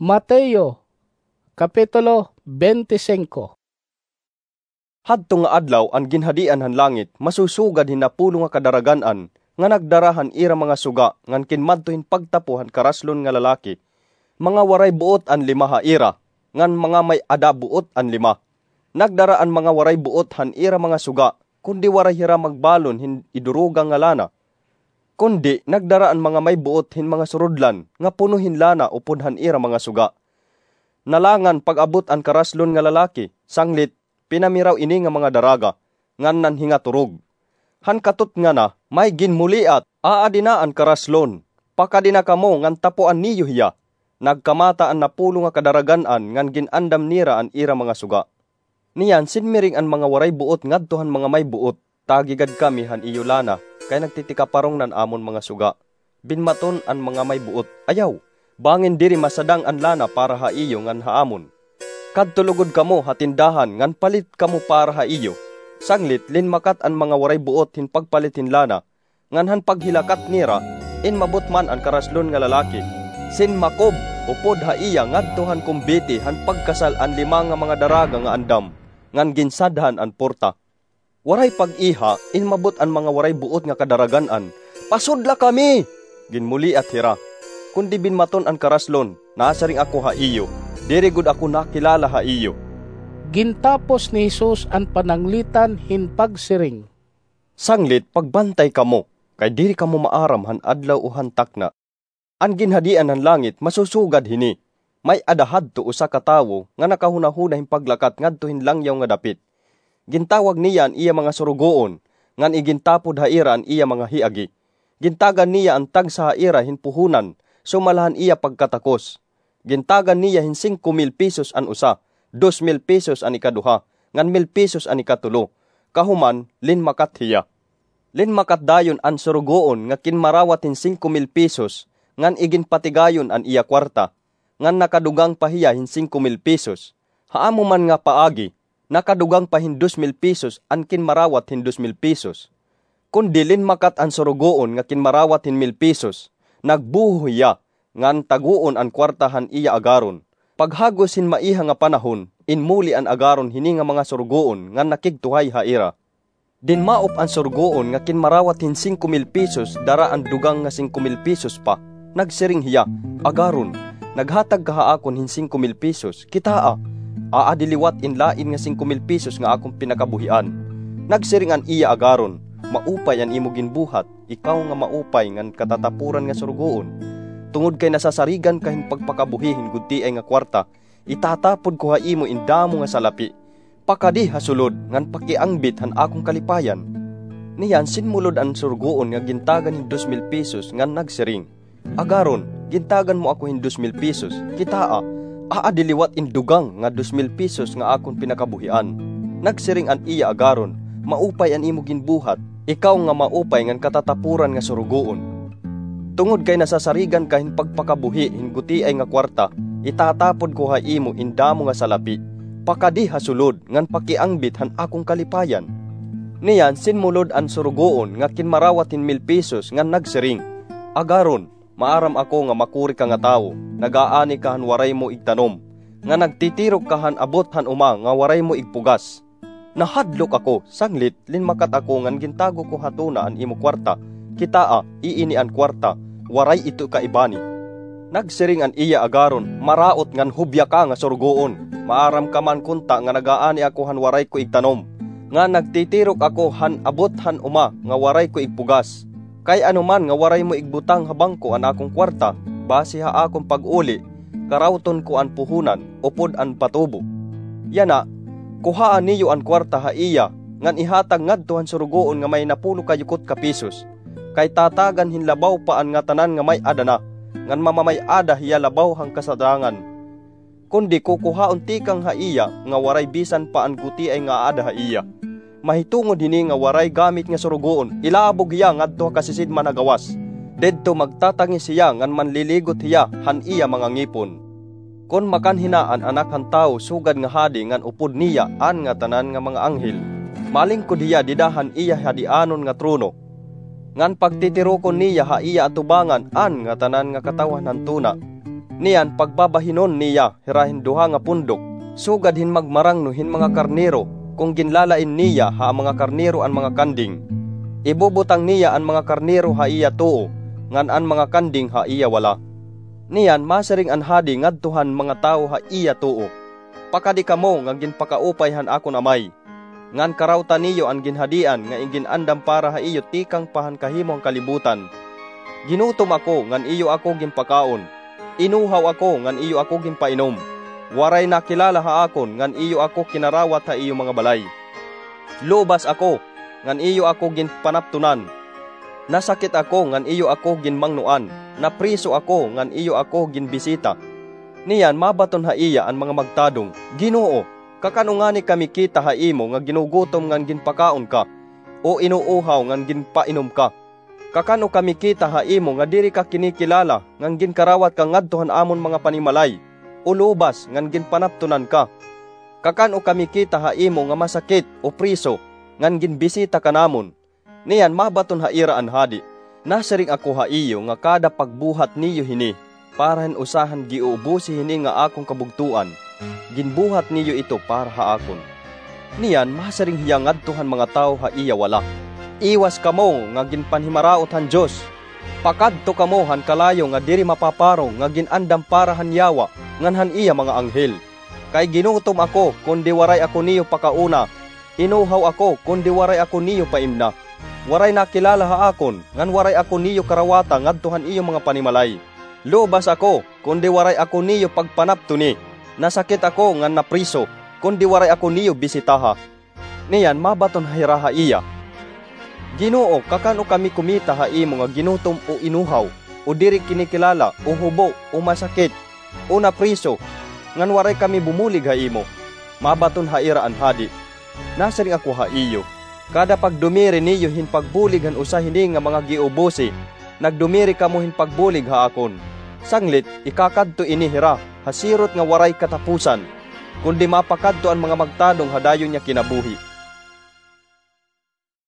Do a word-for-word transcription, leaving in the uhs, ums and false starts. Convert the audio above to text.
Mateo, Kapitulo twenty-five. Hadto nga adlaw an Ginhadian han langit masusugad hin napulo nga kadaragan-an nga nagdara han ira mga suga ngan kinmadto hin pagtapo han karaslon nga lalaki. Mga waray buot an lima ha ira, ngan mga may-ada buot an lima. Nagdara an mga waray buot han ira mga suga, kundi waray hira magbalon hin iduruga nga lana. Kundi nagdara an mga may buot hin mga surudlan nga puno hin lana upod han ira mga suga. Nalangan pag-abot an karaslon nga lalaki, sanglit pinamiraw ini nga mga daraga, ngan nanhingaturog. Han katutngana, may ginmuliat, "Aadi na an karaslon, pakadi na kamo ngan tapoan niyo hiya." Nagkamata an napulo nga kadaragan-an ngan gin-andam nira an ira mga suga. Niyan sinmiring an mga waray buot ngadto han mga may buot, "Tagigad kami han iyo lana, kay nagtitikaparong na an amon mga suga." Binmaton an mga may buot, "Ayaw, bangin diri masadang an lana para ha iyo ngan ha amon. Kadto lugod kamo ha tindahan ngan palit kamo para ha iyo." Sanglit linmakat an mga waray buot hin pagpalit hin lana, ngan han paghilakat nira, inmabot man an karaslon nga lalaki. Sinmakob upod ha iya ngadto han kumbiti han pagkasal an lima nga mga daraga nga andam, ngan ginsadhan an porta. Waray pag-iha, inmabot an mga waray buot nga kadaragan-an. "Pasudla kami!" ginmuliat hira. Kundi binmaton an karaslon, "Nasiring ako ha iyo, diri gud ako nakilala ha iyo." Gintapos ni Jesus an pananglitan hin pagsiring, "Sanglit pagbantay kamo, kay diri kamo maaram han adlaw o han takna." An Ginhadian han langit masusugad hini. May-ada hadto usa ka tawo nga nakahunahuna hin paglakat ngadto hin langyaw nga dapit. Gintawag niya an iya mga surugoon, ngan igintapod ha ira an iya mga hiagi. Gintagan niya an tagsa ha ira hin puhonan, sumala han iya pagkatakos. Gintagan niya hin singko mil pesos an usa, dos mil pesos an ikaduha, ngan mil pesos an ikatulo. Kahuman, linmakat hiya. Linmakat dayon an surugoon nga kinmarawat hin singko mil pesos, ngan iginpatigayon an iya kwarta, ngan nakadugang pa hiya hin singko mil pesos. Ha amo man nga paagi, nakadugang pa hin dos mil pesos an kinmarawat hin dos mil pesos. Kundi linmakat an surugoon nga kinmarawat hin mil pesos, nagbuho hiya, ngan tagoon an kwarta han iya agaron. Paghagos hin maiha nga panahon, inmuli an agaron hini nga mga surugoon ngan nakigtuhay ha ira. Dinmaop an surugoon nga kinmarawat hin singko mil pesos dara an dugang nga singko mil pesos pa. Nagsiring hiya, "Agaron, naghatag ka ha akon hin singko mil pesos. Kitaa, aadi liwat in lain nga singko mil pesos nga akon pinakabuhian." Nagsiring an iya agaron, "Maupay an imo ginbuhat, ikaw nga maupay ngan katatapuran nga surugoon. Tungod kay nasasarigan ka hin pagpakabuhi hin gutiay nga kwarta, itatapod ko ha imo in damo nga salapi. Pakadi ha sulod ngan pakiangbit han akon kalipayan." Niyan sinmulod an surugoon nga gintagan hin dos mil pesos ngan nagsiring, "Agaron, gintagan mo ako hin dos mil pesos. Kitaa, aadi liwat in dugang nga dos mil pesos nga akon pinakabuhian." Nagsiring an iya agaron, "Maupay an imo ginbuhat, ikaw nga maupay ngan katatapuran nga surugoon. Tungod kay nasasarigan ka hin pagpakabuhi hin gutiay nga kwarta, itatapod ko ha imo in damo nga salapi. Pakadi ha sulod ngan pakiangbit han akon kalipayan." Niyan sinmulod an surugoon nga kinmarawat hin mil pesos ngan nagsiring, "Agaron, maaram ako nga makuri ka nga tawo, nag-aani ka han waray mo igtanom, nga nagtitirok ka han abot han uma nga waray mo igpugas. Nahadlok ako, sanglit, linmakat ako ngan gintago ko ha tuna an imo kwarta. Kitaa, iini an kwarta, waray ito kaibani." Nagsiring an iya agaron, "Maraot ngan hubya ka nga surugoon. Maaram ka man kunta nga nag-aani ako han waray ko igtanom, nga nagtitirok ako han abot han uma nga waray ko igpugas. Kay ano man nga waray mo igbutang ha bangko an akon kwarta, basi ha akon pag-uli, karawton ko an puhonan upod an patubo. Yana, kuhaa niyo an kwarta ha iya, ngan ihatag ngadto han surugoon nga may napulo ka yukot ka pesos. Kay tatagan hin labaw pa an ngatanan nga may-ada na, ngan mamamay-ada hiya labaw han kasadangan. Kundi kukuhaon tikang ha iya nga waray bisan pa an gutiay nga aada ha iya. Mahitungod hini nga waray gamit nga surugoon, ilabog hiya ngadto ha kasisidman ha gawas. Didto magtatangis hiya ngan manliligot hiya han iya mga ngipon. Kon makanhina an Anak han Tawo sugad nga hadi ngan upod niya an ngatanan nga mga anghel, malingkod hiya dida han iya hadianon nga trono, ngan pagtitirokon niya ha iya atubangan an ngatanan nga katawhan han tuna. Niyan pagbabahinon niya hira hin duha nga pundok, sugad hin magmarangno hin mga karnero, kon ginlalain niya ha mga karnero an mga kanding. Ibubutang niya an mga karnero ha iya tuo, ngan an mga kanding ha iya wala. Niyan masiring an hadi ngadto han mga tawo ha iya tuo, "Pakadi kamo nga ginpakaupay han akon Amay, ngan karawta niyo an ginhadian nga igin-andam para ha iyo tikang pa han kahimo han kalibutan. Ginutom ako, ngan iyo ako ginpakaon. Inuhaw ako, ngan iyo ako ginpainom. Waray nakilala ha akon, ngan iyo ako kinarawat ha iyo mga balay. Lubas ako, ngan iyo ako ginpanaptunan. Nasakit ako, ngan iyo ako ginmangnoan. Napriso ako, ngan iyo ako ginbisita." Niyan mabaton ha iya an mga magtadong, "Ginoo, kakan-o ngani kami kita ha imo nga ginugutom ngan ginpakaon ka, o inuuhaw ngan ginpainom ka? Kakan-o kami kita ha imo nga diri ka kinikilala ngan ginkarawat ka ngadto han amon mga panimalay, o lubas ngan ginpanaptunan ka? Kakan-o kami kita ha imo nga masakit o priso ngan ginbisita ka namon?" Niyan mabaton ha ira an hadi, "Nasiring ako ha iyo nga kada pagbuhat niyo hini para han usa han giuubosi hini nga akon kabugtoan, ginbuhat niyo ito para ha akon." Niyan masiring hiya ngadto han mga tawo ha iya wala, "Iwas kamo nga ginpanhimaraot han Dios! Pakadto kamo han kalayo nga diri mapaparong nga gin-andam para han Yawa ngan han iya mga anghel. Kay ginutom ako, kundi waray ako niyo pakauna. Inuhaw ako, kundi waray ako niyo paimna. Waray nakilala ha akon, ngan waray ako niyo karawata ngadto han iyo mga panimalay. Lubas ako, kundi waray ako niyo pagpanaptuni. Nasakit ako ngan napriso, kundi waray ako niyo bisitaha." Niyan mabaton hira ha iya, "Ginoo, kakan-o kami kumita ha imo nga ginutom o inuhaw, o diri kinikilala, o hubo, o masakit, o napriso, ngan waray kami bumulig ha imo?" Mabaton ha ira an hadi, "Nasiring ako ha iyo, kada pagdumiri niyo hin pagbulig han usa hini nga mga giubosi, nagdumiri kamo hin pagbulig ha akon. Sanglit, ikakadto ini hira ha sirot nga waray katapusan, kundi mapakadto an mga magtadong ha dayon nga kinabuhi."